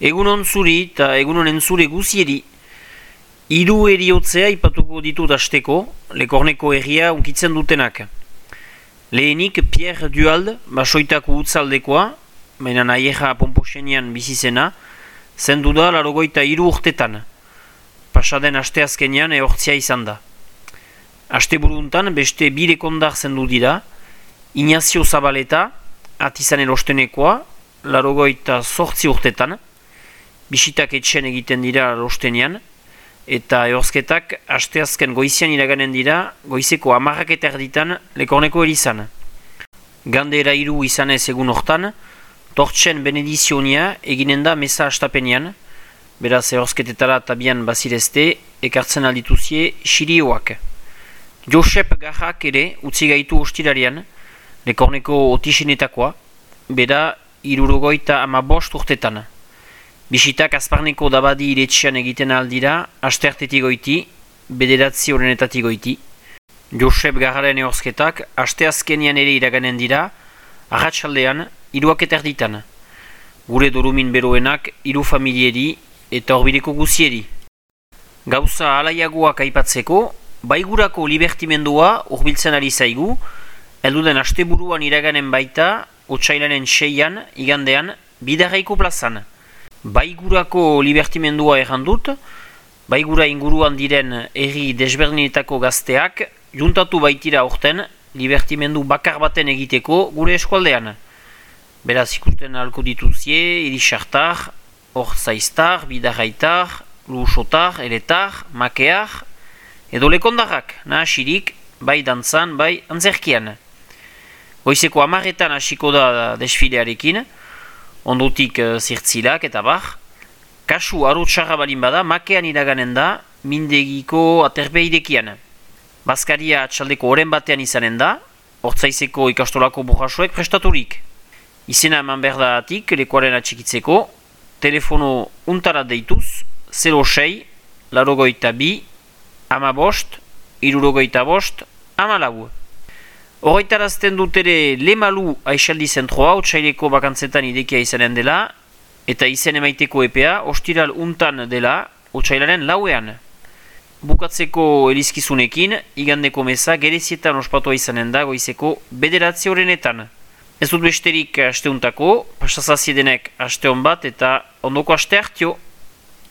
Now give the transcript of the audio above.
Egunon zuri eta egunon entzule guzieri. Hiru heriotzea ipatuko ditut asteko, Lekorneko herria unkitzen dutenak. Lehenik Pierre Duhalde, basoitako utzaldekoa, baina naieja Pomposenian bizizena, zendu da 83 urtetan. Pasaden asteazkenean ehortzia izan da. Asteburuntan beste birekondar zendu dira, Ignacio Zabaleta, atizan erostenekoa, 88 urtetan, bisitak etxen egiten dira lostenean, eta ehorzketak asteazken goizian iraganen dira goizeko 10 erditan Lekorneko erizan. Gandera 3 izanez egun hortan, tortsen benedizionia eginen da meza astapenean, beraz ehorzketetara tabian bazirezte, ekartzen aldituzie xirioak. Josep Garrak ere utzi gaitu ostirarian, Lekorneko otisinetakoa, bera 75 urtetan. Bisitak Azparneko dabadi iretxean egiten aldira, asteartetik goiti, bederatzi horrenetatik goiti. Josep Garraren ehorzketak asteazkenian ere iraganen dira, arratsaldean 3 erditan. Gure dorumin beroenak 3 familieri eta horbideko guzieri. Gauza alaiagoak aipatzeko, baigurako libertimendua hurbiltzen ari zaigu, helduden asteburuan iraganen baita, otsailaren 6an, igandean, Bidarraiko plazan. Baigurako libertimendua errandut, baigura inguruan diren herri desberdinetako gazteak juntatu baitira orten libertimendu bakar baten egiteko gure eskualdean. Beraz ikusten ahalko dituzie, Irisartar, Orzaiztar, Bidarraitar, Lusotar, Eletar, Makear, edo Lekondarrak, nahasirik, bai dantzan, bai antzerkian. Goizeko 10etan hasiko da desfilearekin, ondotik zirtzilak eta bar. Kasu arotxarra balin bada, Makean iraganen da, mindegiko aterbeidekian. Bazkaria atxaldeko oren batean izanen da, Ortzaizeko ikastolako burrasoek prestaturik. Izena eman berdaatik, lekuaren atxikitzeko, telefono untara deituz, 06, 82, 15, 65, 14. Horretarazten dut ere Lemalu Aixaldi Zentroa, otsaileko bakantzetan idekia izanen dela, eta izen emaiteko epea, ostiral untan dela, otsailaren 4ean. Bukatzeko elizkizunekin, igandeko meza gerezietan ospatua izanen da goizeko 9 horrenetan. Ez dut besterik asteuntako, pasazaziedenek aste hon bat eta ondoko aste hartio.